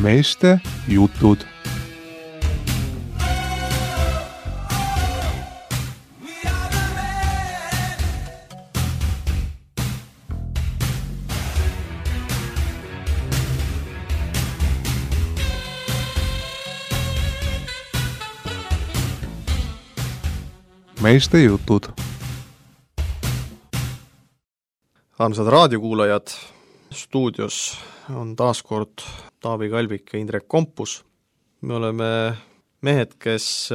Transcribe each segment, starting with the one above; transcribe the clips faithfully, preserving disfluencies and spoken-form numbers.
Meeste jutud. Meeste jutud. Armsad raadiokuulajad, stuudios on taas kord Taavi Kalvik ja Indrek Kompus. Me oleme mehed, kes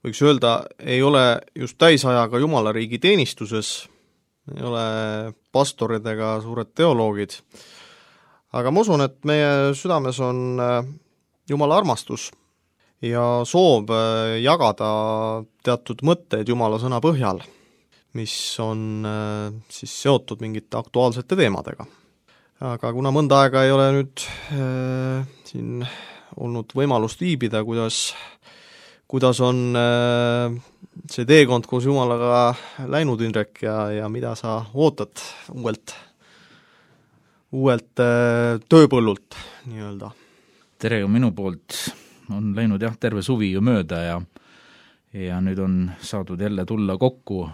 võiks öelda, ei ole just täisajaga Jumalariigi teenistuses, ei ole pastorid ega suured teoloogid, aga ma usun, et meie südames on Jumala armastus ja soov jagada teatud mõtteid Jumala sõna põhjal, mis on siis seotud mingite aktuaalsete teemadega. Aga kuna mõnda aega ei ole nüüd äh, siin olnud võimalust viibida, kuidas, kuidas on äh, see teekond koos Jumalaga läinud, Indrek, ja, ja mida sa ootad uuelt, uuelt äh, tööpõllult nii-öelda? Tere minu poolt, on läinud jah, terve suvi ju mööda ja, ja nüüd on saadud jälle tulla kokku,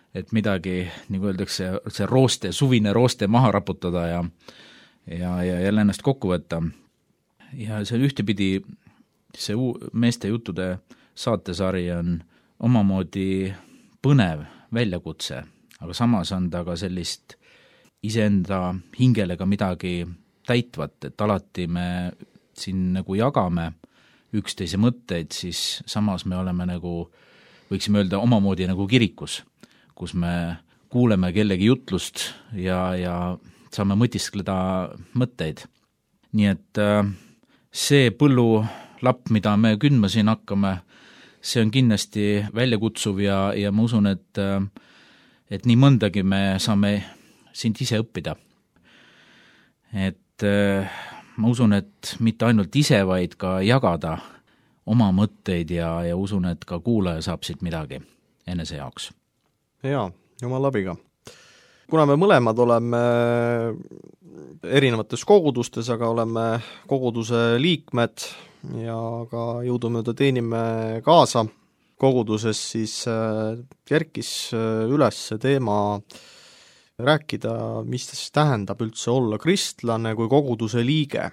et midagi, nagu öeldakse, see rooste, suvine rooste maha raputada ja, ja, ja jälle ennast kokku võtta. Ja see ühtepidi, see uu, meeste juttude saatesari on omamoodi põnev väljakutse, aga samas on ta ka sellist iseenda hingele ka midagi täitvat, et alati me siin nagu jagame üksteise mõtteid, siis samas me oleme nagu, võiksime öelda, omamoodi nagu kirikus, kus me kuuleme kellegi jutlust ja, ja saame mõtiskleda mõtteid. Nii et see põllulapp, mida me kündma siin hakkame, see on kindlasti väljakutsuv ja, ja ma usun, et, et nii mõndagi me saame sind ise õppida. Et ma usun, et mitte ainult ise, vaid ka jagada oma mõtteid ja, ja usun, et ka kuulaja saab siit midagi enese jaoks. Jaa, Jumal abiga. Kuna me mõlemad oleme erinevates kogudustes, aga oleme koguduse liikmed ja ka jõudumööda teenime kaasa koguduses, siis kerkis üles see teema rääkida, mis tähendab üldse olla kristlane kui koguduse liige.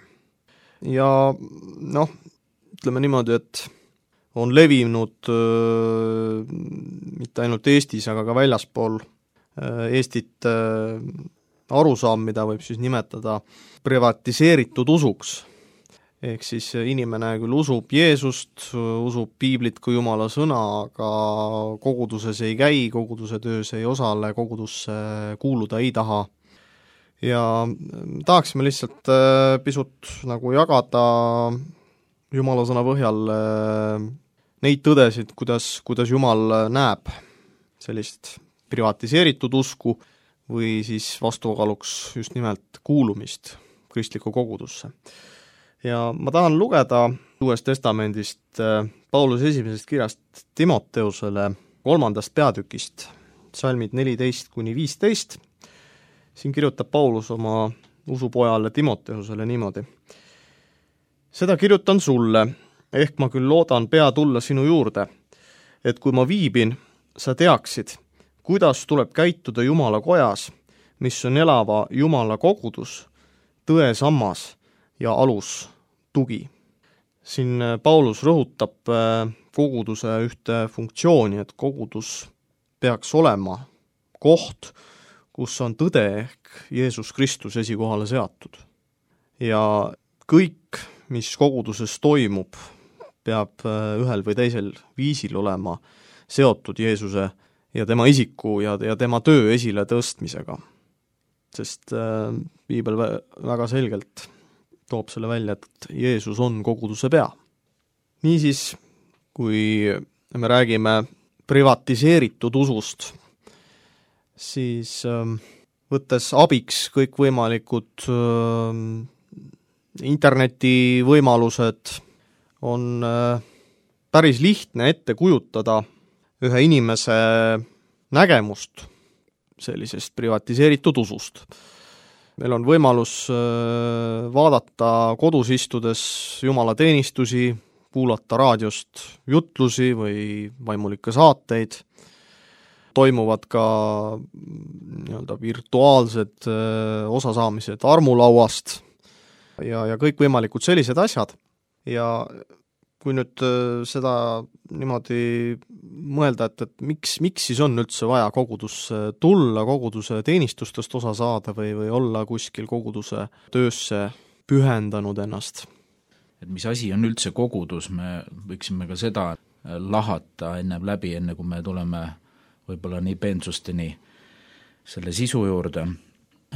Ja noh, ütleme niimoodi, et on levinud äh, mitte ainult Eestis, aga ka väljaspool äh, Eestit äh, arusaam, mida võib siis nimetada privatiseeritud usuks. Ehk siis inimene küll usub Jeesust, usub Piiblit kui Jumala sõna, aga koguduses ei käi, koguduse töös ei osale, kogudusse kuuluda ei taha. Ja tahaksime lihtsalt äh, pisut nagu jagada Jumala sõna põhjal äh, neid tõdesid, kuidas, kuidas Jumal näeb sellist privatiseeritud usku või siis vastukaaluks just nimelt kuulumist kristlikku kogudusse. Ja ma tahan lugeda Uuest testamendist Pauluse esimesest kirjast Timoteusele kolmandast peatükist, salmid neliteist kuni viisteist. Siin kirjutab Paulus oma usupojale Timoteusele niimoodi. Seda kirjutan sulle, ehk ma küll loodan pea tulla sinu juurde, et kui ma viibin, sa teaksid, kuidas tuleb käituda Jumala kojas, mis on elava Jumala kogudus, tõe sammas ja alus tugi. Siin Paulus rõhutab koguduse ühte funktsiooni, et kogudus peaks olema koht, kus on tõde ehk Jeesus Kristus esikohale seatud. Ja kõik, mis koguduses toimub, peab ühel või teisel viisil olema seotud Jeesuse ja tema isiku ja, ja tema töö esile tõstmisega. Sest äh, Piibel väga selgelt toob selle välja, et Jeesus on koguduse pea. Niisiis, kui me räägime privatiseeritud usust, siis äh, võttes abiks kõikvõimalikud äh, internetivõimalused, on äh, päris lihtne ette kujutada ühe inimese nägemust sellisest privatiseeritud usust. meil on võimalus vaadata kodus istudes jumalateenistusi, kuulata raadiost jutlusi või vaimulikke saateid, toimuvad ka nii-öelda virtuaalsed osasaamised armulauast ja, ja kõikvõimalikud sellised asjad. Ja kui nüüd seda niimoodi mõelda, et, et miks, miks siis on üldse vaja kogudusse tulla, koguduse teenistustest osa saada või, või olla kuskil koguduse töösse pühendanud ennast? Et mis asi on üldse kogudus, me võiksime ka seda lahata enne läbi, enne kui me tuleme võib-olla nii peensusteni selle sisu juurde,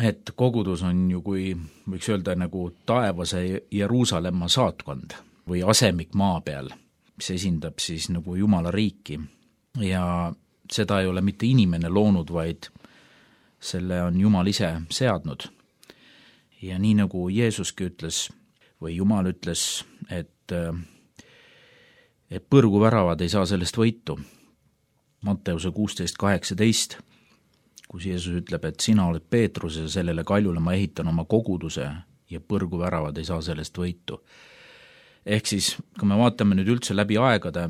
et kogudus on ju, kui võiks öelda, nagu taevase Jeruusalemma saatkond või asemik maa peal, mis esindab siis nagu Jumala riiki. Ja seda ei ole mitte inimene loonud, vaid selle on Jumal ise seadnud. Ja nii nagu Jeesuski ütles, või Jumal ütles, et, et põrguväravad ei saa sellest võitu. Matteuse kuusteist kaheksateist, kus Jeesus ütleb, et sina oled Peetrus ja sellele kaljule ma ehitan oma koguduse ja põrguväravad ei saa sellest võitu. Ehk siis, kui me vaatame nüüd üldse läbi aegade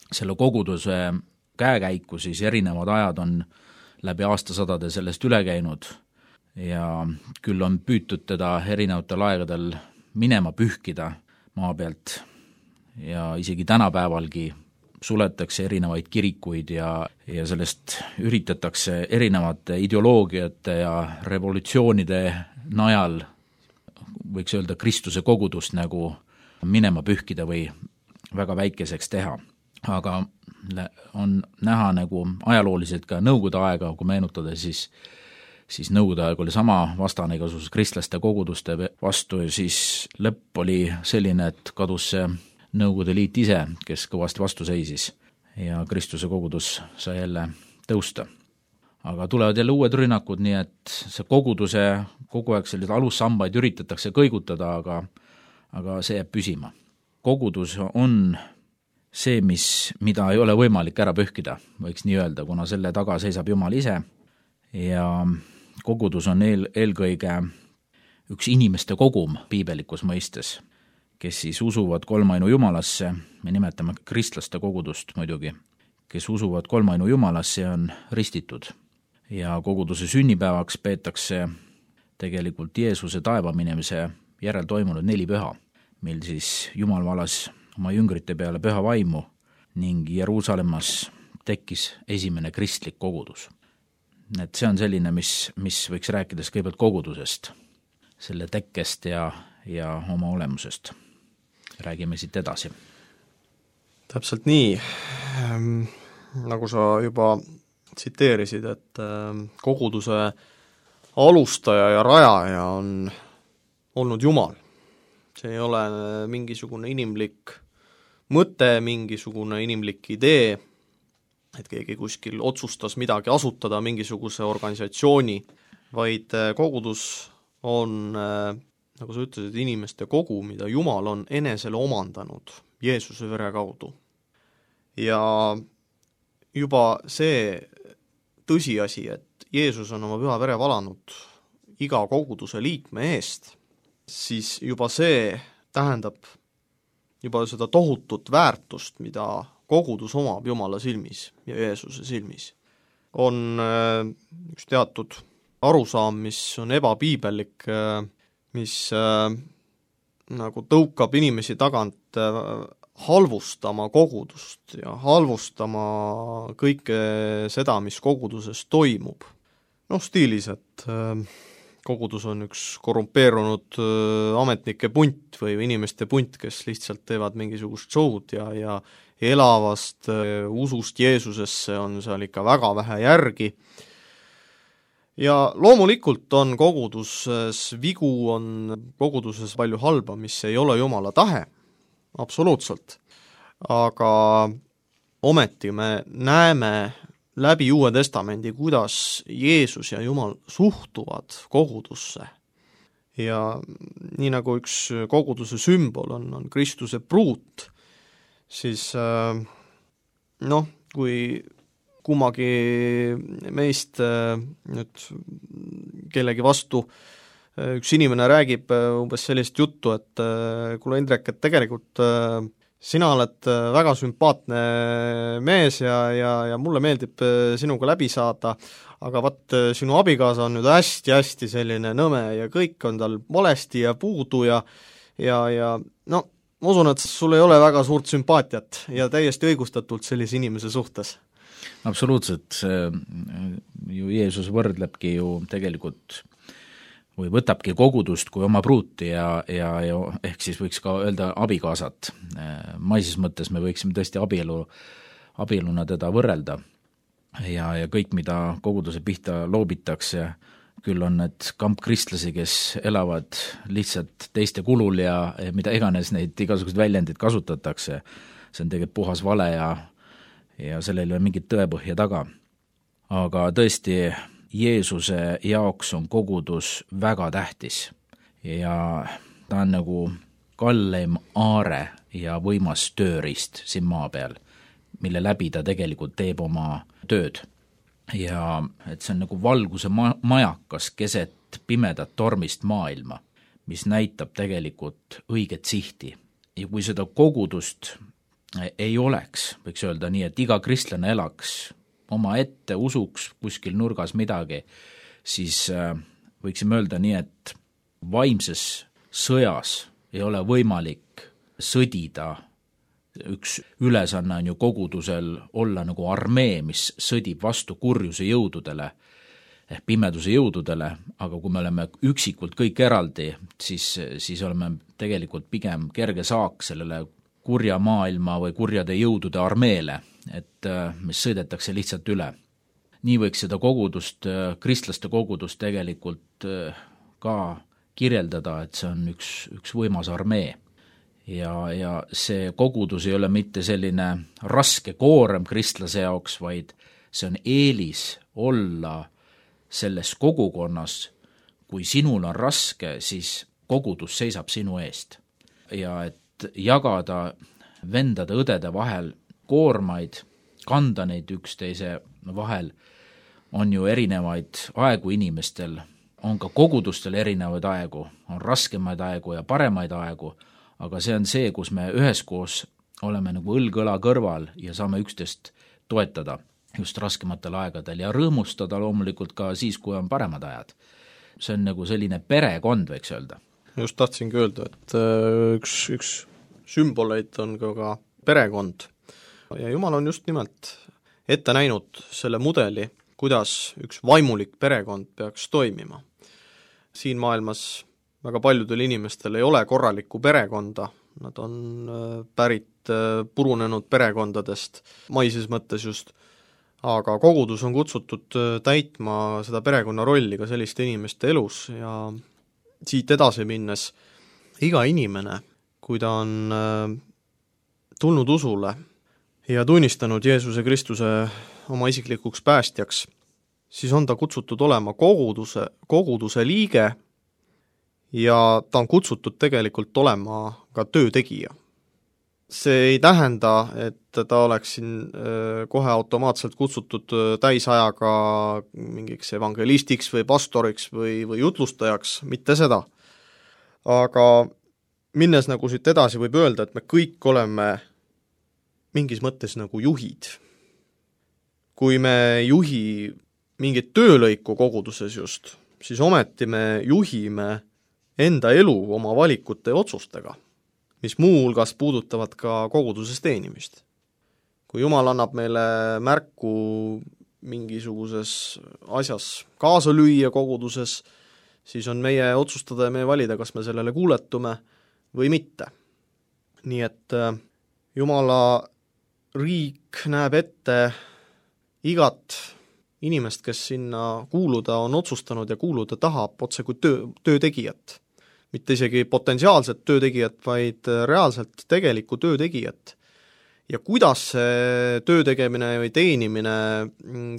selle koguduse käekäiku, siis erinevad ajad on läbi aastasadade sellest üle käinud ja küll on püütud teda erinevatel aegadel minema pühkida maa pealt ja isegi tänapäevalgi suletakse erinevaid kirikuid ja, ja sellest üritatakse erinevate ideoloogiate ja revolutsioonide najal, võiks öelda, Kristuse kogudust nagu minema pühkida või väga väikeseks teha. Aga on näha nagu ajalooliselt ka nõukogude aega, kui meenutada, siis, siis nõukogude aeg oli sama vastane igasugus kristlaste koguduste vastu ja siis lõpp oli selline, et kadus see Nõukogude Liit ise, kes kõvasti vastu seisis ja Kristuse kogudus sai jälle tõusta. Aga tulevad jälle uued rünnakud, nii et see koguduse kogu aeg sellised alussambaid üritatakse kõigutada, aga, aga see jääb püsima. Kogudus on see, mis, mida ei ole võimalik ära pühkida, võiks nii öelda, kuna selle taga seisab Jumal ise ja kogudus on eel, eelkõige üks inimeste kogum piibelikus mõistes, kes siis usuvad kolmainu Jumalasse, me nimetame kristlaste kogudust muidugi, kes usuvad kolmainu Jumalasse ja on ristitud. Ja koguduse sünnipäevaks peetakse tegelikult Jeesuse taeva minemise järel toimunud neli püha, mil siis Jumal valas oma jüngrite peale püha vaimu ning Jeruusalemmas tekkis esimene kristlik kogudus. Et see on selline, mis, mis võiks rääkides kõigepealt kogudusest, selle tekkest ja, ja oma olemusest. Räägime siit edasi. Täpselt nii, ähm, nagu sa juba tsiteerisid, et ähm, koguduse alustaja ja rajaja on olnud Jumal. See ei ole mingisugune inimlik mõte, mingisugune inimlik idee, et keegi kuskil otsustas midagi asutada, mingisuguse organisatsiooni, vaid kogudus on äh, nagu sa ütlesid, inimeste kogu, mida Jumal on enesele omandanud Jeesuse vere kaudu. Ja juba see tõsiasi, et Jeesus on oma püha vere valanud iga koguduse liikme eest, siis juba see tähendab juba seda tohutut väärtust, mida kogudus omab Jumala silmis ja Jeesuse silmis. On üks teatud arusaam, mis on ebapiibellik, mis äh, nagu tõukab inimesi tagant äh, halvustama kogudust ja halvustama kõike seda, mis koguduses toimub. Noh, stiilis, et äh, kogudus on üks korrumpeerunud äh, ametnike punt või inimeste punt, kes lihtsalt teevad mingisugust show'd ja, ja elavast äh, usust Jeesusesse on seal ikka väga vähe järgi. Ja loomulikult on koguduses vigu, on koguduses palju halba, mis ei ole Jumala tahe, absoluutselt. Aga ometi me näeme läbi Uue Testamendi, kuidas Jeesus ja Jumal suhtuvad kogudusse. Ja nii nagu üks koguduse sümbol on, on Kristuse pruut, siis noh, kui kummagi meist nüüd kellegi vastu. Üks inimene räägib umbes sellist juttu, et kuule Indrek, et tegelikult sina oled väga sümpaatne mees ja, ja, ja mulle meeldib sinuga läbi saada, aga vaat sinu abikaasa on nüüd hästi-hästi selline nõme ja kõik on tal valesti ja puudu ja ja, ja no ma usun, et sul ei ole väga suurt sümpaatiat ja täiesti õigustatult sellise inimese suhtes. Absoluutselt, ju Jeesus võrdlebki ju tegelikult või võtabki kogudust kui oma pruuti ja, ja, ja ehk siis võiks ka öelda abikaasat. Maises mõttes me võiksime tõesti abielu, abieluna teda võrrelda ja, ja kõik, mida koguduse pihta loobitakse, küll on need kampkristlasi, kes elavad lihtsalt teiste kulul ja, ja mida iganes neid igasugused väljendid kasutatakse, see on tegelikult puhas vale ja, ja sellel ei ole mingit tõepõhja taga. Aga tõesti, Jeesuse jaoks on kogudus väga tähtis ja ta on nagu kalleim aare ja võimas tööriist siin maa peal, mille läbi ta tegelikult teeb oma tööd. Ja et see on nagu valguse ma- majakas keset pimedat tormist maailma, mis näitab tegelikult õiget sihti. Ja kui seda kogudust ei oleks, võiks öelda nii, et iga kristlane elaks oma ette, usuks kuskil nurgas midagi, siis võiksime öelda nii, et vaimses sõjas ei ole võimalik sõdida. Üks ülesanne on ju kogudusel olla nagu armee, mis sõdib vastu kurjuse jõududele, ehk pimeduse jõududele, aga kui me oleme üksikult kõik eraldi, siis, siis oleme tegelikult pigem kerge saak sellele kurja maailma või kurjade jõudude armeele, et mis sõidetakse lihtsalt üle. Nii võiks seda kogudust, kristlaste kogudust tegelikult ka kirjeldada, et see on üks, üks võimas armee. Ja, ja see kogudus ei ole mitte selline raske koorem kristlase jaoks, vaid see on eelis olla selles kogukonnas. Kui sinul on raske, siis kogudus seisab sinu eest. Ja et jagada vendade õdede vahel koormaid, kanda neid üksteise vahel, on ju erinevaid aegu inimestel, on ka kogudustel erinevaid aegu, on raskemaid aegu ja paremaid aegu, aga see on see, kus me üheskoos oleme nagu õlg-õla kõrval ja saame üksteist toetada just raskematel aegadel ja rõõmustada loomulikult ka siis, kui on paremad ajad. See on nagu selline perekond, võiks öelda. Just tahtsingi öelda, et üks, üks sümboleid on ka, ka perekond ja Jumal on just nimelt ette näinud selle mudeli, kuidas üks vaimulik perekond peaks toimima. Siin maailmas väga paljudel inimestel ei ole korralikku perekonda, nad on pärit purunenud perekondadest, maises mõttes just, aga kogudus on kutsutud täitma seda perekonna rolli ka selliste inimeste elus ja siit edasi minnes iga inimene, kui ta on tulnud usule ja tunnistanud Jeesuse Kristuse oma isiklikuks päästjaks, siis on ta kutsutud olema koguduse, koguduse liige ja ta on kutsutud tegelikult olema ka töötegija. See ei tähenda, et ta oleks siin kohe automaatselt kutsutud täisajaga mingiks evangelistiks või pastoriks või, või jutlustajaks, mitte seda. Aga minnes nagu siit edasi võib öelda, et me kõik oleme mingis mõttes nagu juhid. Kui me ei juhi mingit töölõiku koguduses just, siis ometi me juhime enda elu oma valikute ja otsustega, mis muu hulgas puudutavad ka koguduses teenimist. Kui Jumal annab meile märku mingisuguses asjas kaasa lüüa koguduses, siis on meie otsustada ja meie valida, kas me sellele kuuletume või mitte. Nii et Jumala riik näeb ette igat inimest, kes sinna kuuluda on otsustanud ja kuuluda tahab otse kui töö, töötegijat. Mitte isegi potentsiaalset töötegijat, vaid reaalselt tegelikku töötegijat. Ja kuidas see töötegemine või teenimine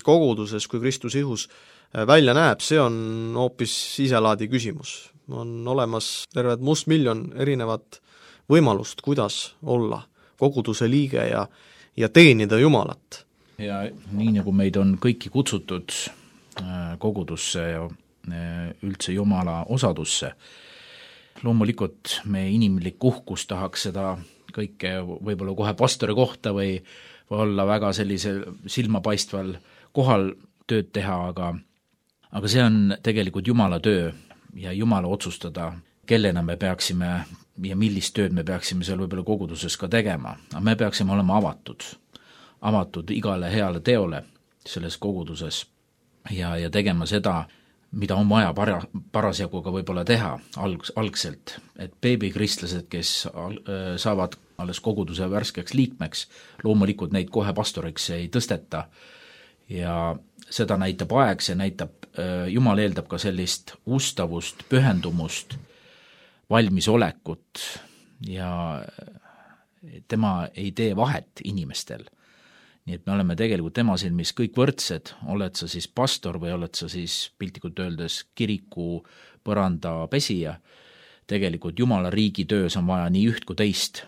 koguduses kui Kristuse ihus välja näeb, see on hoopis iselaadi küsimus. On olemas terved mustmiljon erinevat võimalust, kuidas olla koguduse liige ja, ja teenida Jumalat. Ja nii nagu meid on kõiki kutsutud kogudusse ja üldse Jumala osadusse. Loomulikult me inimlik uhkus tahaks seda kõike võib-olla kohe pastori kohta või, või olla väga sellise silmapaistval kohal tööd teha, aga, aga see on tegelikult Jumala töö ja Jumala otsustada, kellena me peaksime ja millist tööd me peaksime seal võib-olla koguduses ka tegema. Aga me peaksime olema avatud, avatud igale heale teole selles koguduses ja, ja tegema seda, mida on vaja para, parasjagu ka võib-olla teha alg, algselt, et beebikristlased, kes al, saavad alles koguduse värskeks liikmeks, loomulikult neid kohe pastoriks ei tõsteta ja seda näitab aeg, see näitab, Jumal eeldab ka sellist ustavust, pühendumust, valmisolekut ja tema ei tee vahet inimestel. Nii et me oleme tegelikult tema silmis kõik võrdsed, oled sa siis pastor või oled sa siis piltlikult öeldes kiriku põranda pesija, tegelikult Jumala riigi töös on vaja nii üht kui teist.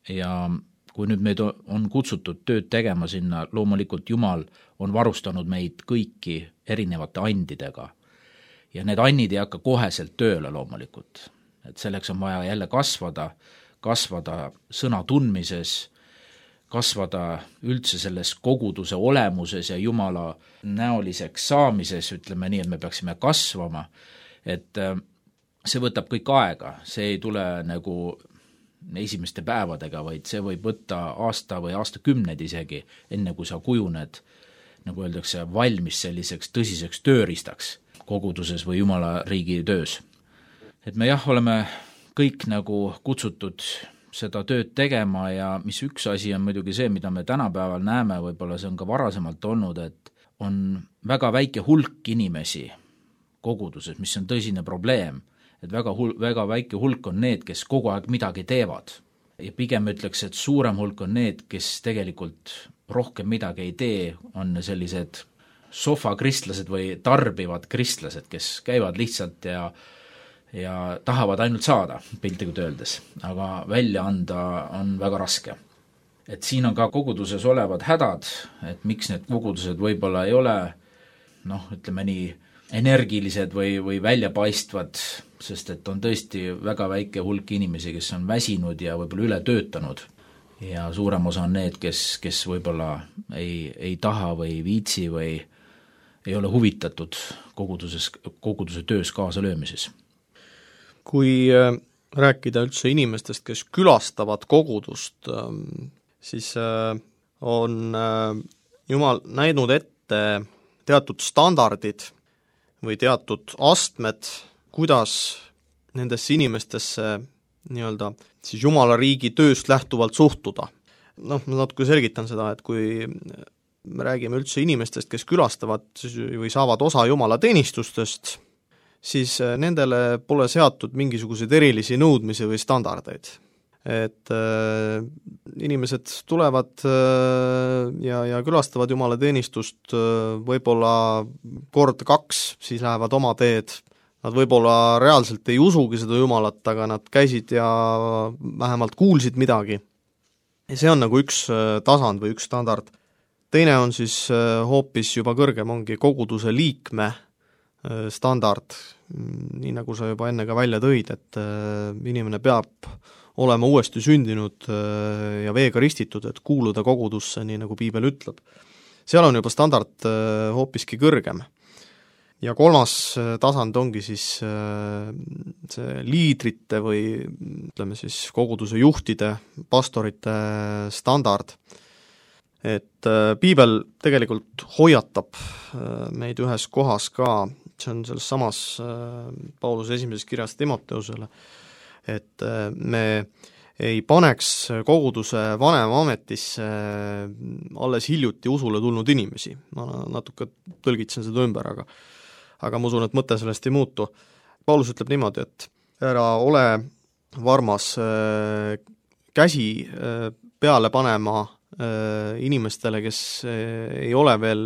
Ja kui nüüd meid on kutsutud tööd tegema sinna, loomulikult Jumal on varustanud meid kõiki erinevate andidega. Ja need annid ei hakka koheselt tööle loomulikult. Et selleks on vaja jälle kasvada, kasvada sõna tundmises, kasvada üldse selles koguduse olemuses ja Jumala näoliseks saamises, ütleme nii, et me peaksime kasvama, et see võtab kõik aega, see ei tule nagu esimeste päevadega, vaid see võib võtta aasta või aastakümned isegi, enne kui sa kujuned, nagu öeldakse, valmis selliseks tõsiseks tööriistaks koguduses või Jumala riigi töös. Et me jah, oleme kõik nagu kutsutud seda tööd tegema ja mis üks asi on muidugi see, mida me tänapäeval näeme, võib-olla see on ka varasemalt olnud, et on väga väike hulk inimesi koguduses, mis on tõsine probleem, et väga, hul- väga väike hulk on need, kes kogu aeg midagi teevad. Ja pigem ütleks, et suurem hulk on need, kes tegelikult rohkem midagi ei tee, on sellised sofakristlased või tarbivad kristlased, kes käivad lihtsalt ja ja tahavad ainult saada, piltlikult öeldes, aga välja anda on väga raske. Et siin on ka koguduses olevad hädad, et miks need kogudused võib-olla ei ole, noh, ütleme nii, energilised või, või väljapaistvad, sest et on tõesti väga väike hulk inimesi, kes on väsinud ja võib-olla üle töötanud ja suurem osa on need, kes, kes võib-olla ei, ei taha või viitsi või ei ole huvitatud koguduses, koguduse töös kaasa löömises. Kui rääkida üldse inimestest, kes külastavad kogudust, siis on Jumal näinud ette teatud standardid või teatud astmed, kuidas nendesse inimestesse nii-öelda siis Jumala riigi tööst lähtuvalt suhtuda. Noh, ma natuke selgitan seda, et kui me räägime üldse inimestest, kes külastavad või saavad osa Jumala teenistustest, siis nendele pole seatud mingisuguseid erilisi nõudmisi või standardeid. Et äh, inimesed tulevad äh, ja, ja külastavad Jumala teenistust äh, võib-olla kord kaks, siis lähevad oma teed. Nad võib-olla reaalselt ei usugi seda Jumalat, aga nad käisid ja vähemalt kuulsid midagi. Ja see on nagu üks äh, tasand või üks standard. Teine on siis äh, hoopis juba kõrgem, ongi koguduse liikme standard, nii nagu sa juba enne ka välja tõid, et inimene peab olema uuesti sündinud ja veega ristitud, et kuuluda kogudusse, nii nagu piibel ütleb. Seal on juba standard hoopiski kõrgem. Ja kolmas tasand ongi siis see liidrite või ütleme siis koguduse juhtide, pastorite standard. Et piibel tegelikult hoiatab meid ühes kohas ka, see on selles samas Pauluse esimeses kirjas Timoteusele, et me ei paneks koguduse vanema ametisse alles hiljuti usule tulnud inimesi. Ma natuke tõlgitsen seda ümber, aga, aga ma usun, et mõte sellest ei muutu. Paulus ütleb niimoodi, et ära ole varmas käsi peale panema inimestele, kes ei ole veel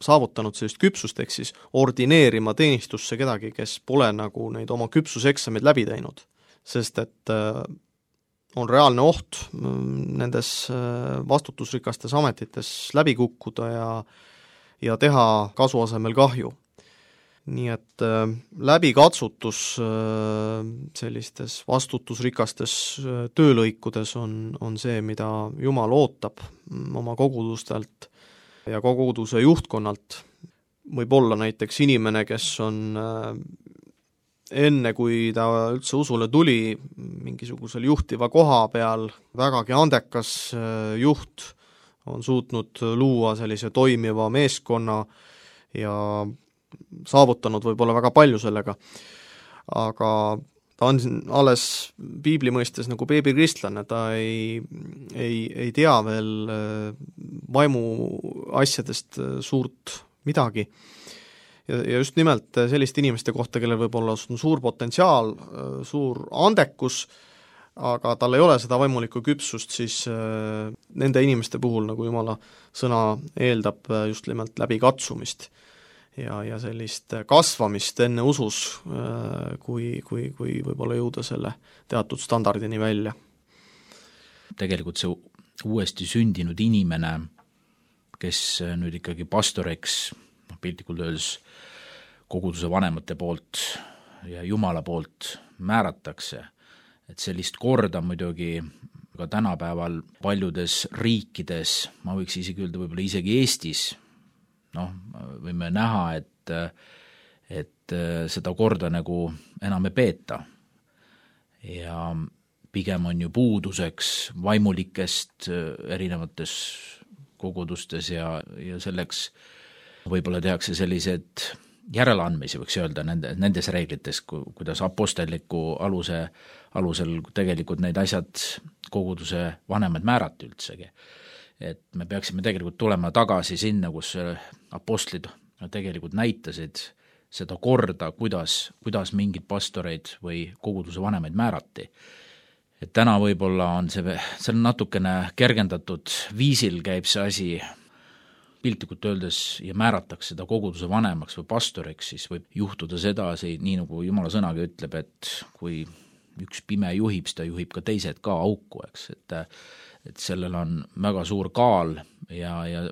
saavutanud sellist küpsust, ehk siis ordineerima teenistusse kedagi, kes pole nagu neid oma küpsuseksameid läbi teinud. Sest et on reaalne oht nendes vastutusrikastes ametites läbi kukkuda ja, ja teha kasu asemel kahju. nii et äh, läbikatsutus äh, sellistes vastutusrikastes äh, töölõikudes on, on see, mida Jumal ootab oma kogudustelt ja koguduse juhtkonnalt. Võib olla näiteks inimene, kes on äh, enne, kui ta üldse usule tuli, mingisugusel juhtiva koha peal vägagi andekas äh, juht, on suutnud luua sellise toimiva meeskonna ja saavutanud võib-olla väga palju sellega, aga ta on alles piibli mõistes nagu beebikristlane, ta ei, ei, ei tea veel vaimu asjadest suurt midagi. Ja, ja just nimelt selliste inimeste kohta, kellel võib-olla on suur potentsiaal, suur andekus, aga tal ei ole seda vaimulikku küpsust, siis nende inimeste puhul, nagu Jumala sõna eeldab, just nimelt läbi katsumist ja, ja sellist kasvamist enne usus, kui, kui, kui võib-olla jõuda selle teatud standardini välja. Tegelikult see uuesti sündinud inimene, kes nüüd ikkagi pastoriks, piltlikult öeldes koguduse vanemate poolt ja Jumala poolt määratakse, et sellist korda muidugi ka tänapäeval paljudes riikides, ma võiks isegi öelda võib-olla isegi Eestis, noh, võime näha, et, et seda korda nagu enam ei peeta. Ja pigem on ju puuduseks vaimulikest erinevates kogudustes ja, ja selleks võib-olla tehakse sellised järeleandmisi, võiks öelda, nende, nendes reeglites, kuidas apostelliku aluse, alusel tegelikult neid asjad koguduse vanemad määrati üldsegi. Et me peaksime tegelikult tulema tagasi sinna, kus apostlid tegelikult näitasid seda korda, kuidas, kuidas mingid pastoreid või koguduse vanemaid määrati. Et täna võib-olla on see, see on natukene kergendatud viisil käib see asi piltlikult öeldes ja määratakse seda koguduse vanemaks või pastoriks, siis võib juhtuda sedasi, nii nagu Jumala sõnaga ütleb, et kui üks pime juhib, siis ta juhib ka teised ka auku, eks, et et sellel on väga suur kaal ja, ja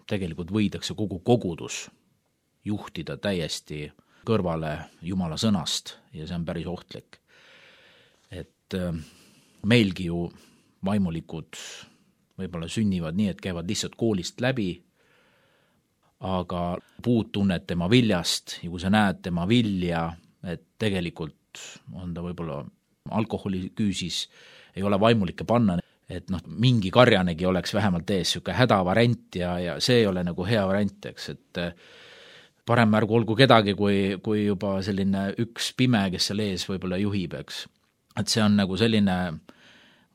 tegelikult võidakse kogu kogudus juhtida täiesti kõrvale Jumala sõnast ja see on päris ohtlik. Et meilgi ju vaimulikud võib-olla sünnivad nii, et käivad lihtsalt koolist läbi, aga puud tunned tema viljast ja kui sa näed tema vilja, et tegelikult on ta võib-olla alkoholiküüsis, ei ole vaimulikke panna, et noh, mingi karjanegi oleks vähemalt ees siuke hädavariant ja, ja see ei ole nagu hea variant, eks, et parem märgu olgu kedagi, kui, kui juba selline üks pime, kes seal ees võib-olla juhib, eks. Et see on nagu selline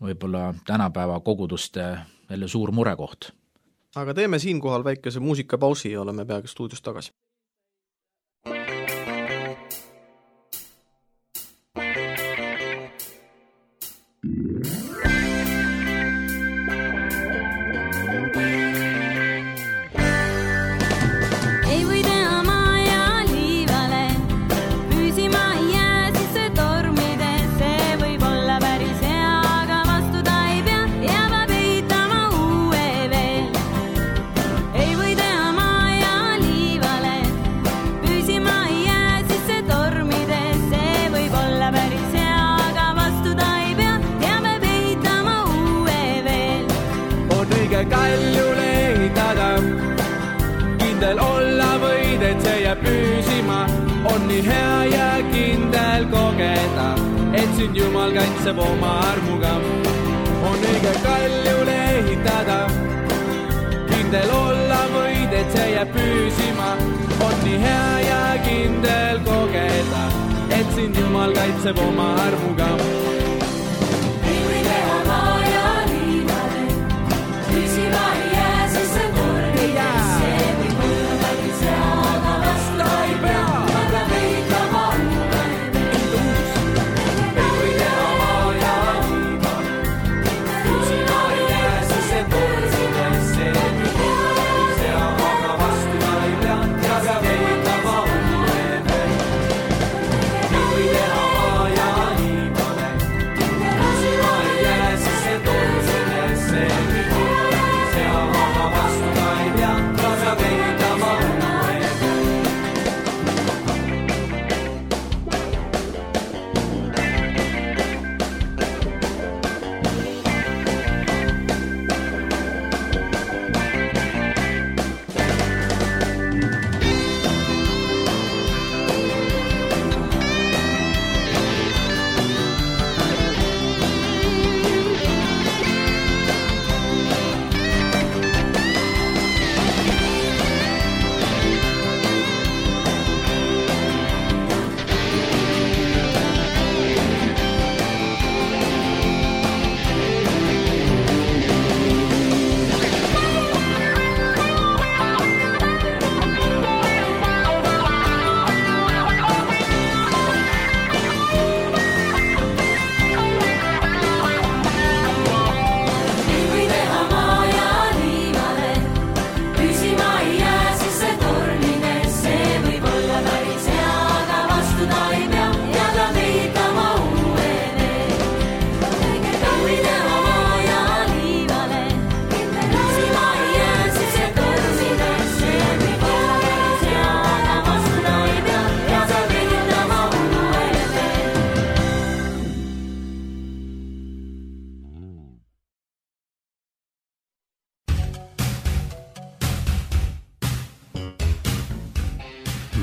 võib-olla tänapäeva koguduste jälle suur murekoht. Aga teeme siinkohal väikese muusikapausi ja oleme peaaegu stuudios tagasi. Püsima on nii hea ja kindel kogeda, et sind Jumal kaitseb oma armuga. On õige kaljule ehitada, kindel olla võid, et see jääb püsima. On nii hea ja kindel kogeda, et sind Jumal kaitseb oma armuga. Ei või teha maa ja liivale, püsima ei jää, siis see kordides, see võib olla päris hea.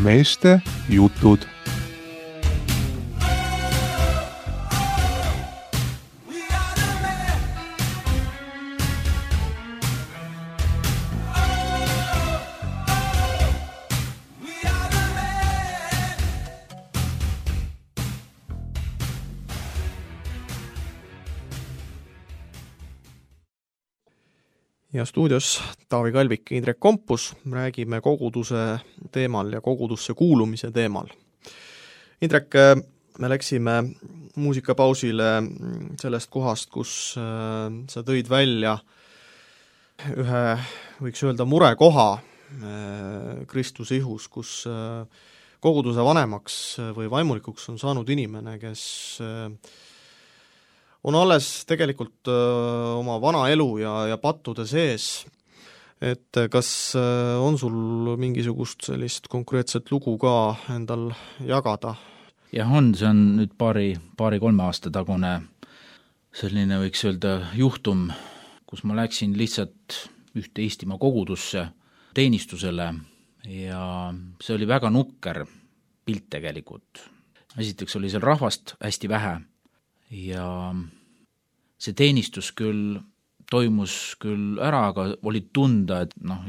meeste jutud. Ja stuudios Taavi Kalvik, Indrek Kompus, räägime koguduse teemal ja kogudusse kuulumise teemal. Indrek, me läksime muusikapausile sellest kohast, kus sa tõid välja ühe, võiks öelda, murekoha Kristuse ihus, kus koguduse vanemaks või vaimulikuks on saanud inimene, kes on alles tegelikult öö, oma vana elu ja, ja pattude sees, et kas öö, on sul mingisugust sellist konkreetset lugu ka endal jagada? Jah, on, see on nüüd paari, paari-kolme aasta tagune selline, võiks öelda, juhtum, kus ma läksin lihtsalt ühte Eestimaa kogudusse teenistusele ja see oli väga nukker pilt tegelikult. Esiteks oli seal rahvast hästi vähe ja see teenistus küll toimus küll ära, aga oli tunda, et noh,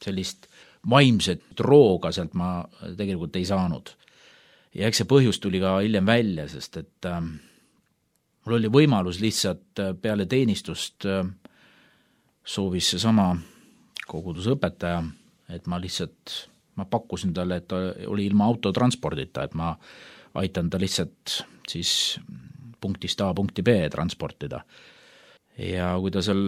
sellist vaimset rooga sealt ma tegelikult ei saanud. Ja eks see põhjus tuli ka hiljem välja, sest et äh, mul oli võimalus lihtsalt peale teenistust äh, soovis see sama koguduse õpetaja, et ma lihtsalt, ma pakkusin talle, et ta oli ilma autotranspordita, et ma aitan ta lihtsalt siis punktist A punkti B transportida. Ja kui ta seal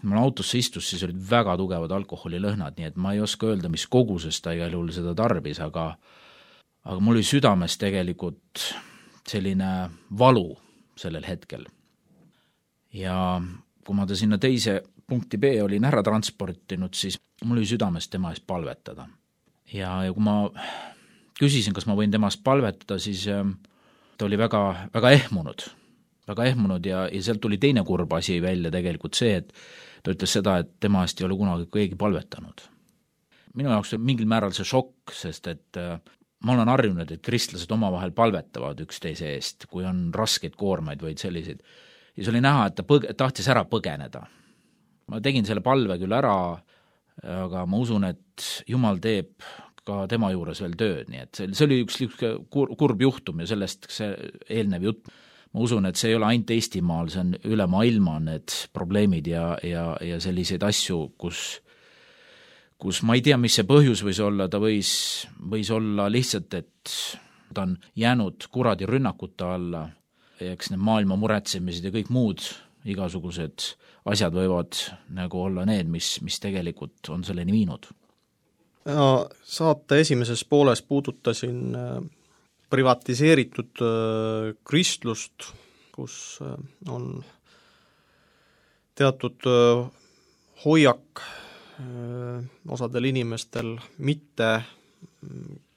mul autosse istus, siis olid väga tugevad alkoholilõhnad, nii et ma ei oska öelda, mis koguses ta igal juhul seda tarbis, aga, aga mul oli südames tegelikult selline valu sellel hetkel. Ja kui ma ta sinna teise punkti B olin ära transportinud, siis mul oli südames tema eest palvetada. Ja, ja kui ma küsisin, kas ma võin temast palvetada, siis ta oli väga, väga ehmunud, väga ehmunud ja, ja sealt tuli teine kurb asi välja tegelikult see, et ta ütles seda, et tema eest ei ole kunagi keegi palvetanud. Minu jaoks on mingil määral see šokk, sest et ma olen harjunud, et kristlased omavahel palvetavad üksteise eest, kui on raskeid koormaid või selliseid. Ja see oli näha, et ta põg- tahtis ära põgeneda. Ma tegin selle palve küll ära, aga ma usun, et Jumal teeb ka tema juures veel tööd, nii et see, see oli üks kur, kurb juhtum ja sellest see eelnev jutt. Ma usun, et see ei ole ainult Eestimaal, see on üle maailma need probleemid ja, ja, ja selliseid asju, kus, kus ma ei tea, mis see põhjus võis olla, ta võis, võis olla lihtsalt, et ta on jäänud kuradi rünnakute alla, eks need maailma muretsemised ja kõik muud igasugused asjad võivad nagu olla need, mis, mis tegelikult on selleni viinud. Ja saate esimeses pooles puudutasin privatiseeritud kristlust, kus on teatud hoiak osadel inimestel mitte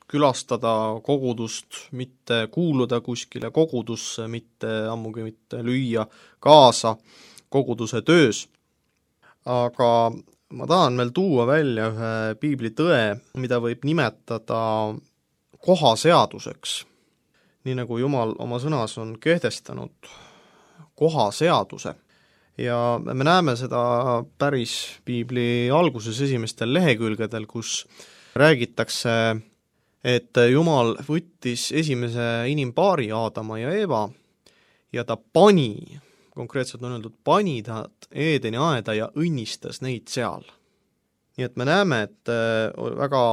külastada kogudust, mitte kuuluda kuskile kogudusse, mitte ammugi mitte lüüa kaasa koguduse töös. Aga ma tahan veel tuua välja ühe piibli tõe, mida võib nimetada kohaseaduseks. Nii nagu Jumal oma sõnas on kehtestanud kohaseaduse. Ja me näeme seda päris piibli alguses esimestel lehekülgedel, kus räägitakse, et Jumal võttis esimese inimpaari Aadama ja Eeva ja ta pani, konkreetselt on öeldud, pani nad Eedeni aeda ja õnnistas neid seal. Nii et me näeme, et väga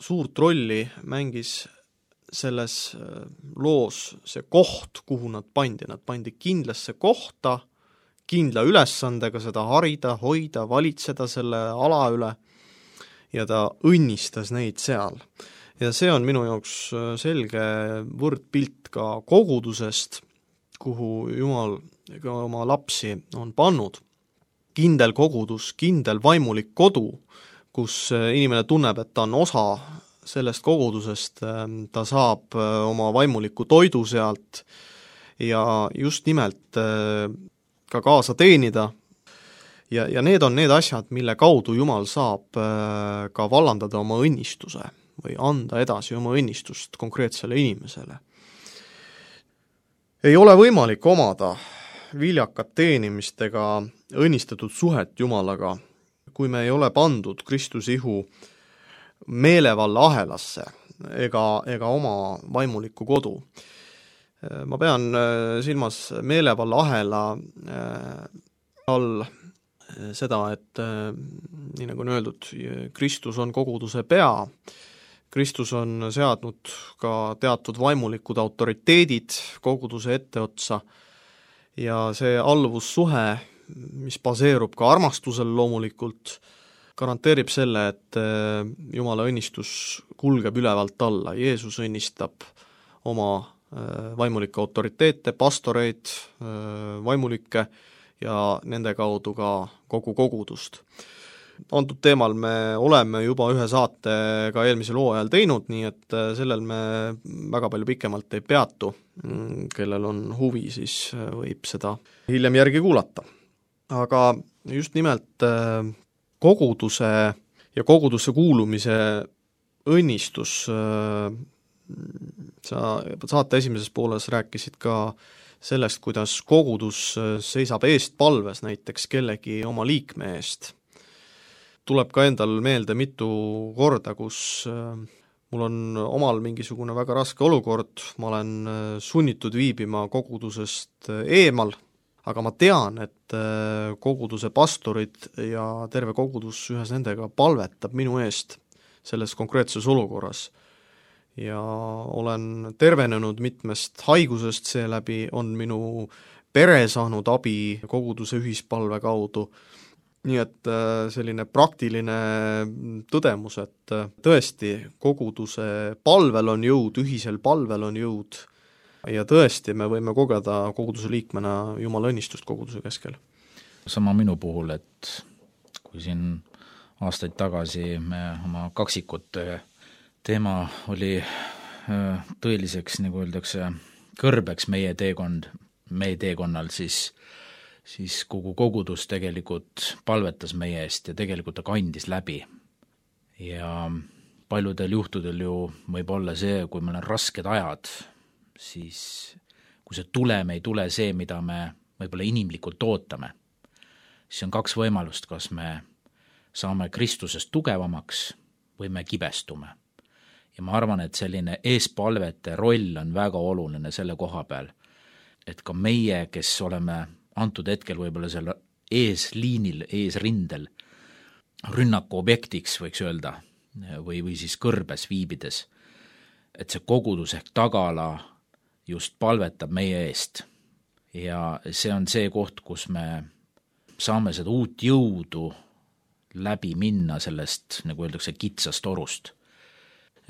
suurt rolli mängis selles loos see koht, kuhu nad pandi. Nad pandi kindlasse kohta, kindla ülesandega seda harida, hoida, valitseda selle ala üle ja ta õnnistas neid seal. Ja see on minu jaoks selge võrdpilt ka kogudusest, kuhu Jumal ka oma lapsi on pannud. Kindel kogudus, kindel vaimulik kodu, kus inimene tunneb, et ta on osa sellest kogudusest, ta saab oma vaimuliku toidu sealt ja just nimelt ka kaasa teenida. Ja, ja need on need asjad, mille kaudu Jumal saab ka vallandada oma õnnistuse. või anda edasi oma õnnistust konkreetsele inimesele. Ei ole võimalik omada viljakat teenimist ega õnnistatud suhet Jumalaga, kui me ei ole pandud Kristuse ihu meelevalla ahelasse ega, ega oma vaimulikku kodu. Ma pean silmas meelevalla ahela all seda, et nii nagu on öeldud, Kristus on koguduse pea, Kristus on seadnud ka teatud vaimulikud autoriteedid koguduse etteotsa ja see alluvussuhe, mis baseerub ka armastusel loomulikult, garanteerib selle, et Jumala õnnistus kulgeb ülevalt alla. Jeesus õnnistab oma vaimulikke autoriteete, pastoreid, vaimulikke ja nende kaudu ka kogu kogudust. Antud teemal me oleme juba ühe saate ka eelmisel hooajal teinud, nii et sellel me väga palju pikemalt ei peatu. Kellel on huvi, siis võib seda hiljem järgi kuulata. Aga just nimelt koguduse ja kogudusse kuulumise õnnistus, sa saate esimeses pooles rääkisid ka sellest, kuidas kogudus seisab eest palves näiteks kellegi oma liikme eest. Tuleb ka endal meelde mitu korda, kus mul on omal mingisugune väga raske olukord, ma olen sunnitud viibima kogudusest eemal, aga ma tean, et koguduse pastorid ja terve kogudus ühes nendega palvetab minu eest selles konkreetses olukorras. Ja olen tervenenud mitmest haigusest, seeläbi on minu pere saanud abi koguduse ühispalve kaudu. Nii et selline praktiline tõdemus, et tõesti koguduse palvel on jõud, ühisel palvel on jõud ja tõesti me võime kogeda koguduse liikmena Jumala õnnistust koguduse keskel. Sama minu puhul, et kui siin aastaid tagasi me oma kaksikute teema oli tõeliseks, nagu öeldakse, kõrbeks meie teekond, meie teekonnal, siis siis kogu kogudus tegelikult palvetas meie eest ja tegelikult ta kandis läbi. Ja paljudel juhtudel ju võib olla see, kui meil on rasked ajad, siis kui see tulem ei tule see, mida me võib-olla inimlikult ootame, siis on kaks võimalust, kas me saame Kristusest tugevamaks või me kibestume. Ja ma arvan, et selline eespalvete roll on väga oluline selle koha peal, et ka meie, kes oleme antud hetkel võib-olla selle eesliinil, eesrindel, rünnaku objektiks võiks öelda, või, või siis kõrbes viibides, et see kogudus ehk tagala just palvetab meie eest. Ja see on see koht, kus me saame seda uut jõudu läbi minna sellest, nagu öeldakse, kitsast orust.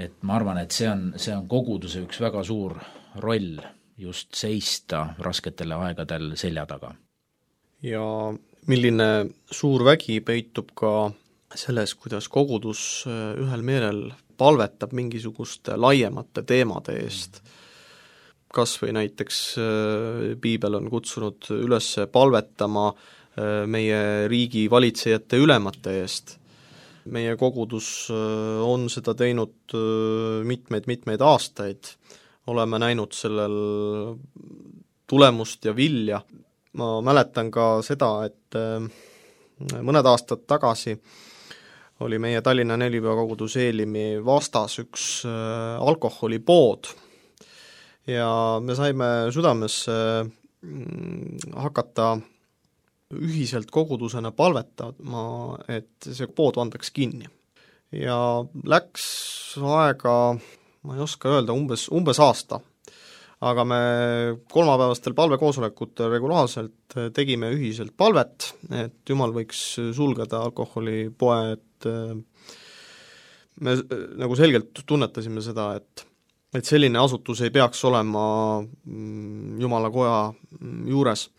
Et ma arvan, et see on, see on koguduse üks väga suur roll, just seista rasketele aegadel selja taga. Ja milline suur vägi peitub ka selles, kuidas kogudus ühel meelel palvetab mingisuguste laiemate teemade eest. Kas või näiteks piibel on kutsunud üles palvetama meie riigi valitsejate ülemate eest. Meie kogudus on seda teinud mitmeid-mitmeid aastaid. Oleme näinud sellel tulemust ja vilja. Ma mäletan ka seda, et mõned aastad tagasi oli meie Tallinna Nelipea kogudus Eelimi vastas üks alkoholipood ja me saime südames hakata ühiselt kogudusena palvetama, et see pood vandaks kinni. Ja läks aega, ma ei oska öelda, umbes, umbes aasta, aga me kolmapäevastel palvekoosolekutel regulaarselt tegime ühiselt palvet, et Jumal võiks sulgeda alkoholipoe, et me nagu selgelt tunnetasime seda, et, et selline asutus ei peaks olema Jumala koja juures.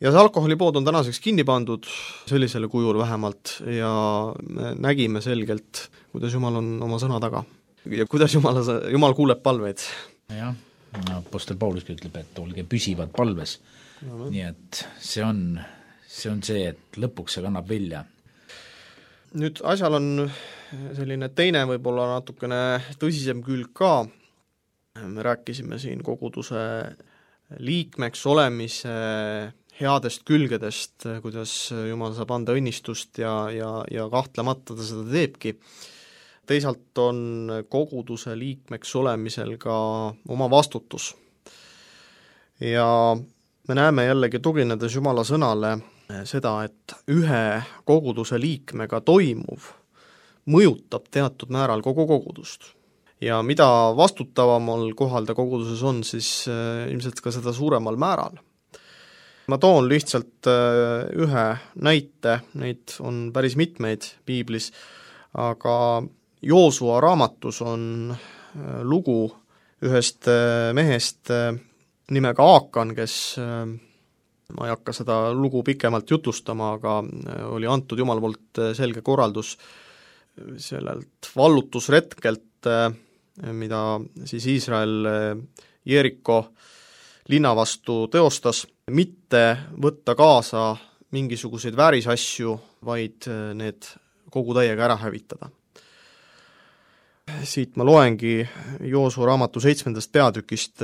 Ja see alkoholipood on tänaseks kinni pandud sellisele kujul vähemalt ja me nägime selgelt, kuidas Jumal on oma sõna taga ja kuidas Jumal, Jumal kuuleb palveid. Jah, apostel Pauluski ütleb, et olge püsivad palves. No, nii et see on, see on see, et lõpuks see kannab vilja. nüüd asjal on selline teine võib-olla natukene tõsisem külg ka, me rääkisime siin koguduse liikmeks olemise headest külgedest, kuidas Jumal saab anda õnnistust ja, ja, ja kahtlemata ta seda teebki. Teisalt on koguduse liikmeks olemisel ka oma vastutus. Ja me näeme jällegi tuginedes Jumala sõnale seda, et ühe koguduse liikmega toimuv mõjutab teatud määral kogu kogudust. Ja mida vastutavamal kohal ta koguduses on, siis ilmselt ka seda suuremal määral. Ma toon lihtsalt ühe näite, neid on päris mitmeid piiblis, aga Joosua raamatus on lugu ühest mehest nimega Aakan, kes, ma ei hakka seda lugu pikemalt jutlustama, aga oli antud Jumala poolt selge korraldus sellelt vallutusretkelt, mida siis Iisrael Jeriko linna vastu teostas, mitte võtta kaasa mingisuguseid väärisasju, vaid need kogu täiega ära hävitada. Siit ma loengi Joosua raamatu seitsmendast peatükist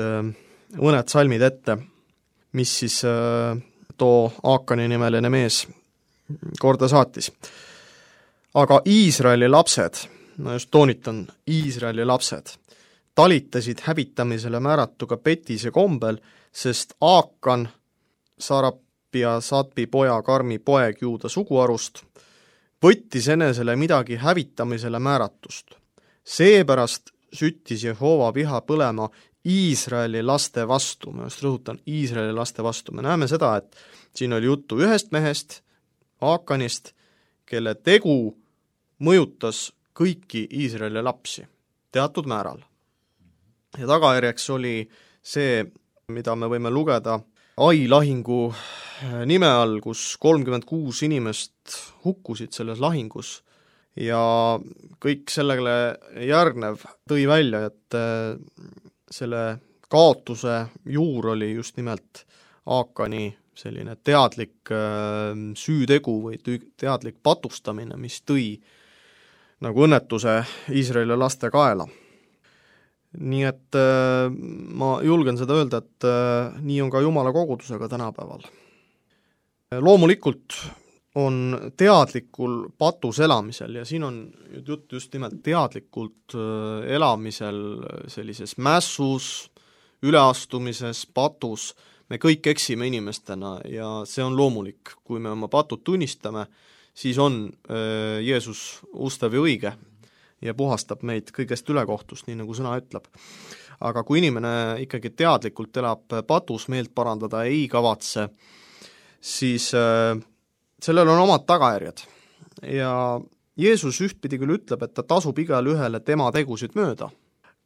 mõned salmid ette, mis siis too Aakani nimeline mees korda saatis. Aga Iisraeli lapsed, ma just toonitan, Iisraeli lapsed, talitasid hävitamisele määratuga petise kombel, sest Aakan, Sarapi ja Satbi poja Karmi poeg Juuda suguarust, võttis enesele midagi hävitamisele määratust. Seepärast süttis Jehova viha põlema Iisraeli laste vastu, ma just rõhutan, Iisraeli laste vastu. Me näeme seda, et siin oli juttu ühest mehest, Aakanist, kelle tegu mõjutas kõiki Iisraeli lapsi teatud määral. Ja tagajärjeks oli see, mida me võime lugeda Ai lahingu nime all, kus kolmkümmend kuus inimest hukkusid selles lahingus ja kõik sellele järgnev tõi välja, et selle kaotuse juur oli just nimelt Aakani selline teadlik süütegu või teadlik patustamine, mis tõi nagu õnnetuse Iisraeli laste kaela. Nii et äh, ma julgen seda öelda, et äh, nii on ka Jumala kogudusega tänapäeval. Loomulikult on teadlikul patus elamisel ja siin on jutt just nimelt teadlikult äh, elamisel sellises mässus, üleastumises, patus. Me kõik eksime inimestena ja see on loomulik. Kui me oma patud tunnistame, siis on äh, Jeesus ustav ja õige ja puhastab meid kõigest ülekohtust, nii nagu sõna ütleb. Aga kui inimene ikkagi teadlikult elab patus, meelt parandada ei kavatse, siis äh, sellel on omad tagajärjed. Ja Jeesus ühtpidi küll ütleb, et ta tasub igale ühele tema tegusid mööda,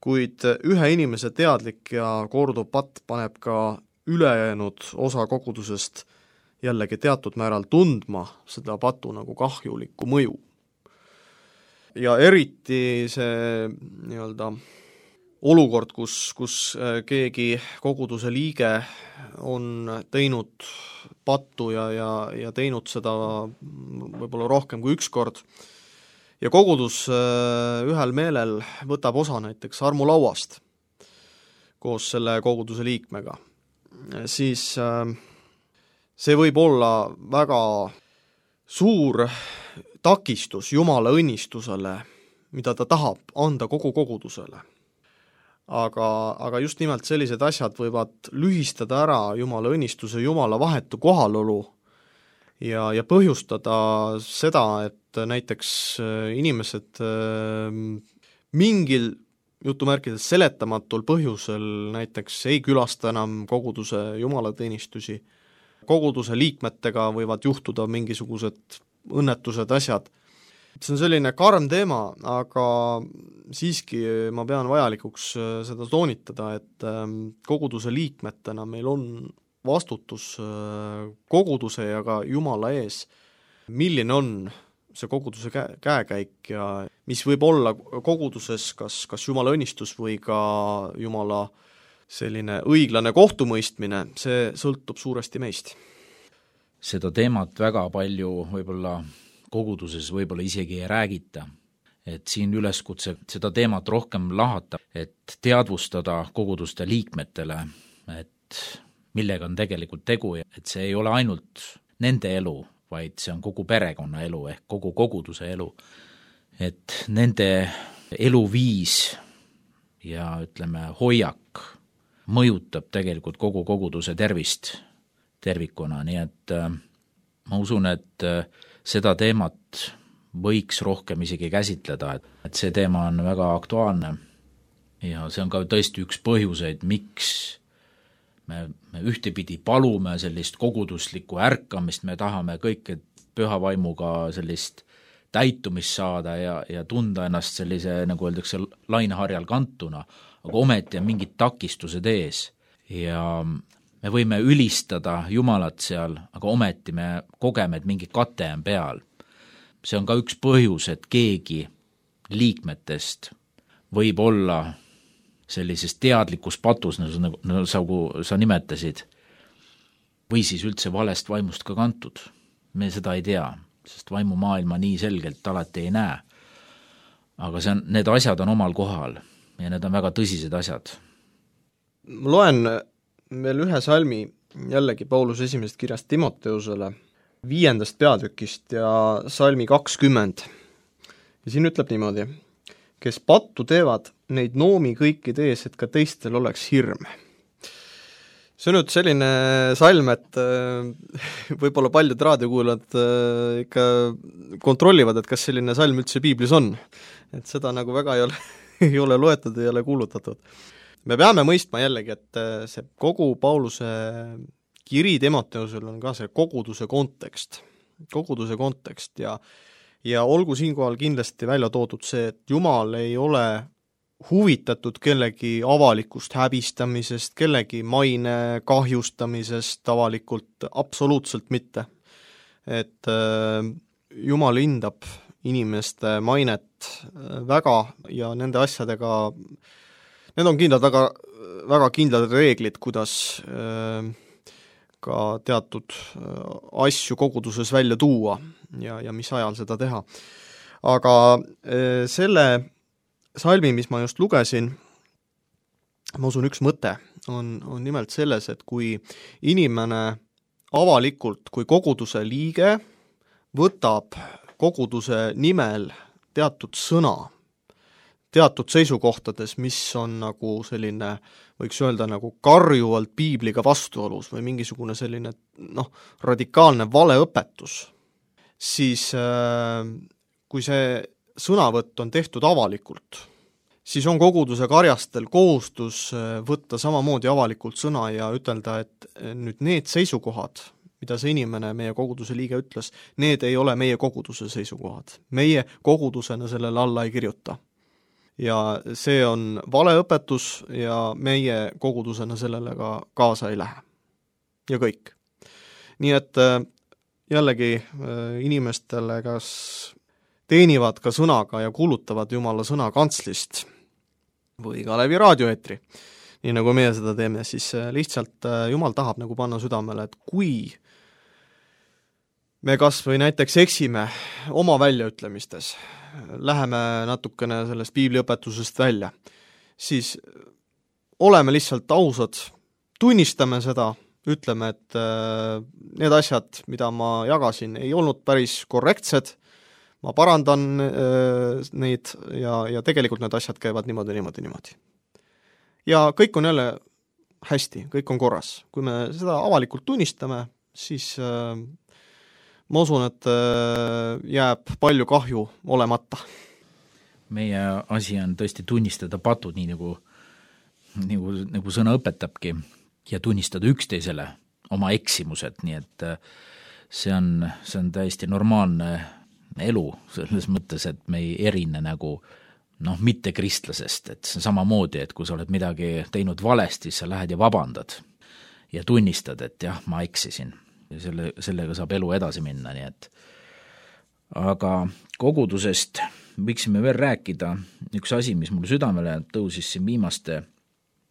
kuid ühe inimese teadlik ja korduv patt paneb ka ülejäänud osa kogudusest jällegi teatud määral tundma seda patu nagu kahjulikku mõju. Ja eriti see nii-öelda olukord, kus, kus keegi koguduse liige on teinud pattu ja, ja, ja teinud seda võib-olla rohkem kui üks kord ja kogudus ühel meelel võtab osa näiteks armulauast koos selle koguduse liikmega, siis see võib olla väga suur takistus Jumala õnnistusele, mida ta tahab anda kogu kogudusele. Aga, aga just nimelt sellised asjad võivad lühistada ära Jumala õnnistuse, Jumala vahetu kohalolu ja, ja põhjustada seda, et näiteks inimesed mingil jutumärkides seletamatul põhjusel näiteks ei külasta enam koguduse jumalateenistusi. Koguduse liikmetega võivad juhtuda mingisugused õnnetused, asjad. See on selline karm teema, aga siiski ma pean vajalikuks seda toonitada, et koguduse liikmetena meil on vastutus koguduse ja ka Jumala ees, milline on see koguduse käe, käekäik ja mis võib olla koguduses kas, kas Jumala õnnistus või ka Jumala selline õiglane kohtumõistmine, see sõltub suuresti meist. Seda teemat väga palju võib-olla koguduses võib-olla isegi ei räägita. Et siin üleskutse seda teemat rohkem lahata, et teadvustada koguduste liikmetele, et millega on tegelikult tegu, et see ei ole ainult nende elu, vaid see on kogu perekonna elu ehk kogu koguduse elu. Et nende eluviis ja ütleme hoiak mõjutab tegelikult kogu koguduse tervist tervikuna, nii et ma usun, et seda teemat võiks rohkem isegi käsitleda, et see teema on väga aktuaalne ja see on ka tõesti üks põhjuseid, miks me, me ühtepidi palume sellist koguduslikku ärkamist, me tahame kõik püha vaimuga sellist täitumist saada ja, ja tunda ennast sellise, nagu öeldakse, laineharjal kantuna, aga ometi on mingid takistused ees ja me võime ülistada Jumalat seal, aga ometi me kogeme, et mingi kate on peal. See on ka üks põhjus, et keegi liikmetest võib olla sellises teadlikus patus, nagu, nagu sa, sa nimetasid, või siis üldse valest vaimust ka kantud. Me seda ei tea, sest vaimumaailma nii selgelt alati ei näe. Aga see on, need asjad on omal kohal ja need on väga tõsised asjad. Ma loen veel ühe salmi jällegi Paulus esimesest kirjast Timoteusele, viiendast peatükist ja salmi kakskümmend. Ja siin ütleb niimoodi, kes pattu teevad, neid noomi kõikide ees, et ka teistel oleks hirm. See on nüüd selline salm, et võib-olla paljud raadiokuulajad ikka kontrollivad, et kas selline salm üldse piiblis on. Et seda nagu väga ei ole, ei ole loetud, ei ole kuulutatud. Me peame mõistma jällegi, et see kogu Pauluse kiri Timoteusel on ka see koguduse kontekst, koguduse kontekst ja, ja olgu siinkohal kindlasti välja toodud see, et Jumal ei ole huvitatud kellegi avalikust häbistamisest, kellegi maine kahjustamisest avalikult, absoluutselt mitte. Et äh, Jumal hindab inimeste mainet väga ja nende asjadega, need on kindlad väga, väga kindlad reeglid, kuidas äh, ka teatud asju koguduses välja tuua ja, ja mis ajal seda teha. Aga selle salmi, mis ma just lugesin, ma usun, üks mõte on, on nimelt selles, et kui inimene avalikult, kui koguduse liige võtab koguduse nimel teatud sõna, teatud seisukohtades, mis on nagu selline, võiks öelda nagu karjuvalt piibliga vastuolus või mingisugune selline noh, radikaalne valeõpetus, siis äh, kui see sõnavõtt on tehtud avalikult, siis on koguduse karjastel kohustus võtta samamoodi avalikult sõna ja ütelda, et nüüd need seisukohad, mida see inimene, meie koguduse liige ütles, need ei ole meie koguduse seisukohad. Meie kogudusena sellele alla ei kirjuta. Ja see on valeõpetus ja meie kogudusena sellele ka kaasa ei lähe. Ja kõik. Nii et jällegi inimestele, kas teenivad ka sõnaga ja kuulutavad Jumala sõna kantslist või ka läbi raadioeetri, nii nagu meie seda teeme, siis lihtsalt Jumal tahab nagu panna südamele, et kui me kas või näiteks eksime oma väljaütlemistes, läheme natukene sellest piibliõpetusest välja, siis oleme lihtsalt ausad, tunnistame seda, ütleme, et need asjad, mida ma jagasin, ei olnud päris korrektsed, ma parandan neid ja, ja tegelikult need asjad käivad niimoodi, niimoodi, niimoodi. Ja kõik on jälle hästi, kõik on korras. Kui me seda avalikult tunnistame, siis ma usun, et jääb palju kahju olemata. Meie asi on tõesti tunnistada patud, nii nagu, nagu, nagu sõna õpetabki, ja tunnistada üksteisele oma eksimused, nii et see on, see on täiesti normaalne elu, selles mõttes, et me ei erine nagu noh, mitte kristlasest, et see on samamoodi, et kui sa oled midagi teinud valesti, siis sa lähed ja vabandad ja tunnistad, et jah, ma eksisin. Ja selle, sellega saab elu edasi minna, nii et aga kogudusest võiksime veel rääkida. Üks asi, mis mul südamele tõusis siin viimaste,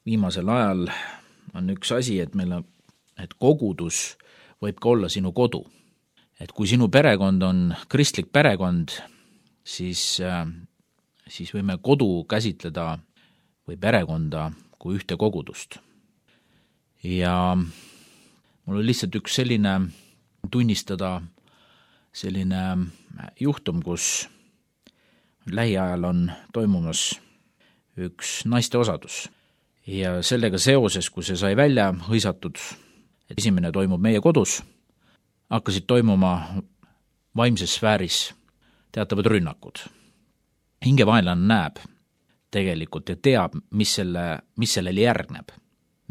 viimasel ajal on üks asi, et meil on, et kogudus võib ka olla sinu kodu. et kui sinu perekond on kristlik perekond, siis, siis võime kodu käsitleda või perekonda kui ühte kogudust. Ja mul oli lihtsalt üks selline tunnistada selline juhtum, kus lähiajal on toimumas üks naiste osadus. Ja sellega seoses, kui see sai välja hõisatud, et esimene toimub meie kodus, hakkasid toimuma vaimses sfääris teatavad rünnakud. Hingevaenlane näeb tegelikult ja teab, mis, selle, mis sellele järgneb.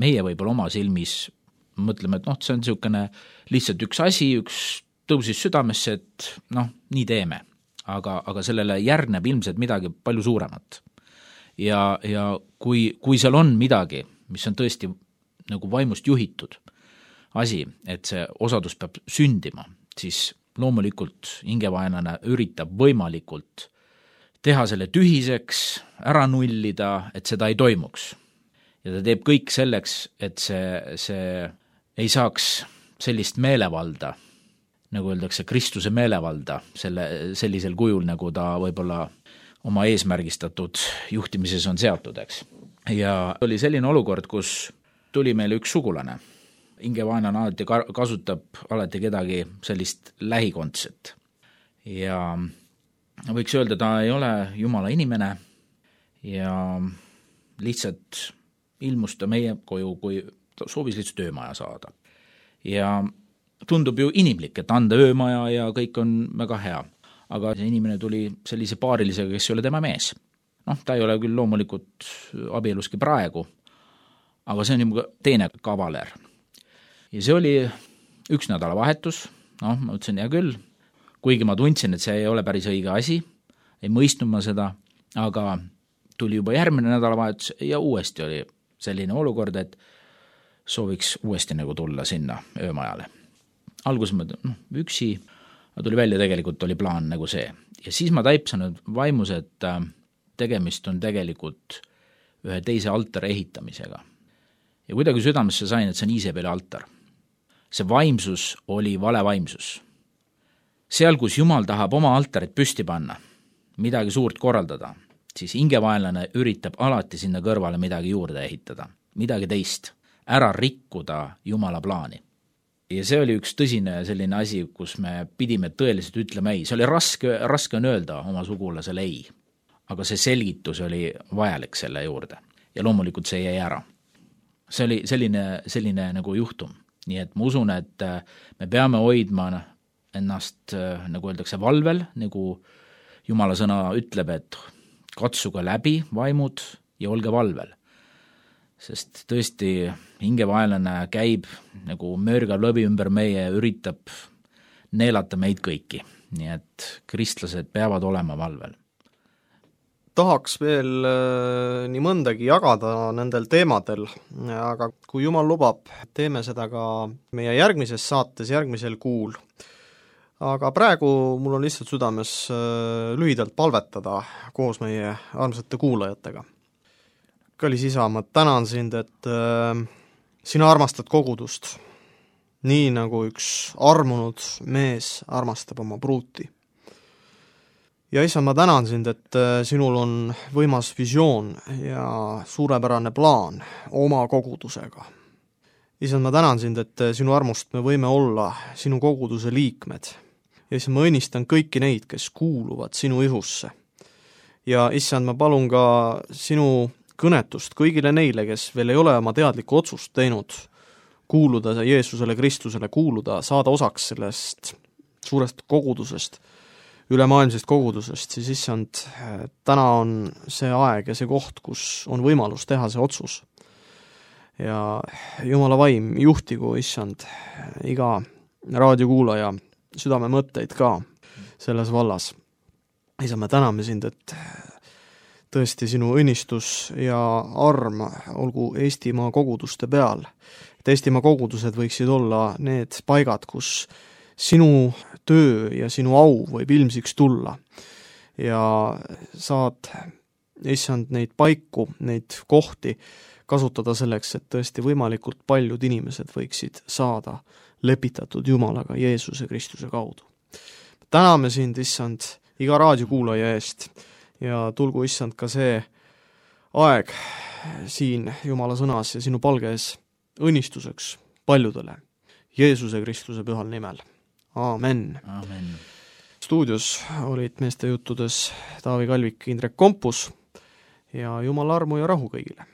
Meie võib-olla oma silmis mõtleme, et noh, see on niisugune lihtsalt üks asi, üks tõusis südamesse, et noh, nii teeme. Aga, aga sellele järgneb ilmselt midagi palju suuremat. Ja, ja kui, kui seal on midagi, mis on tõesti nagu vaimust juhitud asi, et see osadus peab sündima, siis loomulikult hingevaenlane üritab võimalikult teha selle tühiseks, ära nullida, et seda ei toimuks. Ja ta teeb kõik selleks, et see, see ei saaks sellist meelevalda, nagu öeldakse, Kristuse meelevalda, selle, sellisel kujul, nagu ta võib-olla oma eesmärgistatud juhtimises on seatud, eks. Ja oli selline olukord, kus tuli meile üks sugulane. Hingevaenlane alati kasutab alati kedagi sellist lähikondset. Ja võiks öelda, ta ei ole Jumala inimene ja lihtsalt ilmus ta meie koju, kui ta soovis lihtsalt öömaja saada. Ja tundub ju inimlik, et anda öömaja ja kõik on väga hea. Aga see inimene tuli sellise paarilisega, kes ei ole tema mees. Noh, ta ei ole küll loomulikult abieluski praegu, aga see on juba teine kavaler. Ja see oli üks nädalavahetus, noh, ma ütlesin, hea küll, kuigi ma tundsin, et see ei ole päris õige asi, ei mõistnud ma seda, aga tuli juba järgmine nädalavahetus ja uuesti oli selline olukord, et sooviks uuesti nagu tulla sinna öömajale. Alguses ma noh, üksi, aga tuli välja, tegelikult oli plaan nagu see. Ja siis ma taipsan vaimus, et tegemist on tegelikult ühe teise altari ehitamisega. Ja kuidagi südamesse sain, et see on Iisabeli altar. See vaimsus oli vale vaimsus. Seal, kus Jumal tahab oma altarit püsti panna, midagi suurt korraldada, siis hingevaenlane üritab alati sinna kõrvale midagi juurde ehitada, midagi teist, ära rikkuda Jumala plaani. Ja see oli üks tõsine selline asi, kus me pidime tõeliselt ütlema ei. See oli raske, raske on öelda oma sugulasele ei, aga see selgitus oli vajalik selle juurde ja loomulikult see jäi ära. See oli selline, selline nagu juhtum. Nii et ma usun, et me peame hoidma ennast, nagu öeldakse, valvel, nagu Jumala sõna ütleb, et katsuge läbi vaimud ja olge valvel. Sest tõesti hingevaenlane käib nagu mörgav lõbi ümber meie, üritab neelata meid kõiki. Nii et kristlased peavad olema valvel. Tahaks veel äh, nii mõndagi jagada nendel teemadel, aga kui Jumal lubab, teeme seda ka meie järgmises saates, järgmisel kuul. Aga praegu mul on lihtsalt südames äh, lühidalt palvetada koos meie armsate kuulajatega. Kallis isa, ma tänan sind, et äh, sina armastad kogudust, nii nagu üks armunud mees armastab oma pruuti. Ja isa, ma tänan sind, et äh, sinul on võimas visioon ja suurepärane plaan oma kogudusega. Isa, ma tänan sind, et äh, sinu armust me võime olla sinu koguduse liikmed. Ja isa, ma õnnistan kõiki neid, kes kuuluvad sinu ihusse. Ja issand, ma palun ka sinu kõnetust kõigile neile, kes veel ei ole oma teadlikku otsust teinud, kuuluda Jeesusele, Kristusele, kuuluda, saada osaks sellest suurest kogudusest, ülemaailmsest kogudusest, siis issand, täna on see aeg ja see koht, kus on võimalus teha see otsus. Ja Jumala vaim juhtigu, issand, iga raadiokuulaja südame mõtteid ka selles vallas. Isa, me täname sind, et tõesti sinu õnnistus ja arm olgu Eestimaa koguduste peal. Et Eestimaa kogudused võiksid olla need paigad, kus sinu töö ja sinu au võib ilmsiks tulla. Ja saad, issand, neid paiku, neid kohti kasutada selleks, et tõesti võimalikult paljud inimesed võiksid saada lepitatud Jumalaga Jeesuse Kristuse kaudu. Täname sind, issand, iga raadiokuulaja eest ja tulgu, issand, ka see aeg siin Jumala sõnas ja sinu palges õnnistuseks paljudele Jeesuse Kristuse pühal nimel. Aamen. Aamen. Stuudios olid meeste juttudes Taavi Kalvik, Indrek Kompus ja Jumala armu ja rahu kõigile.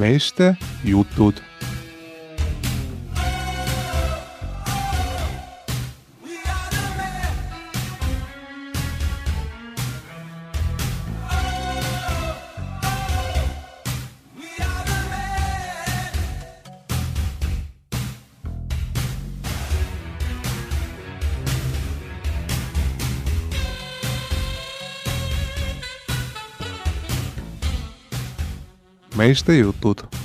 Meeste jutud. Meeste jutud.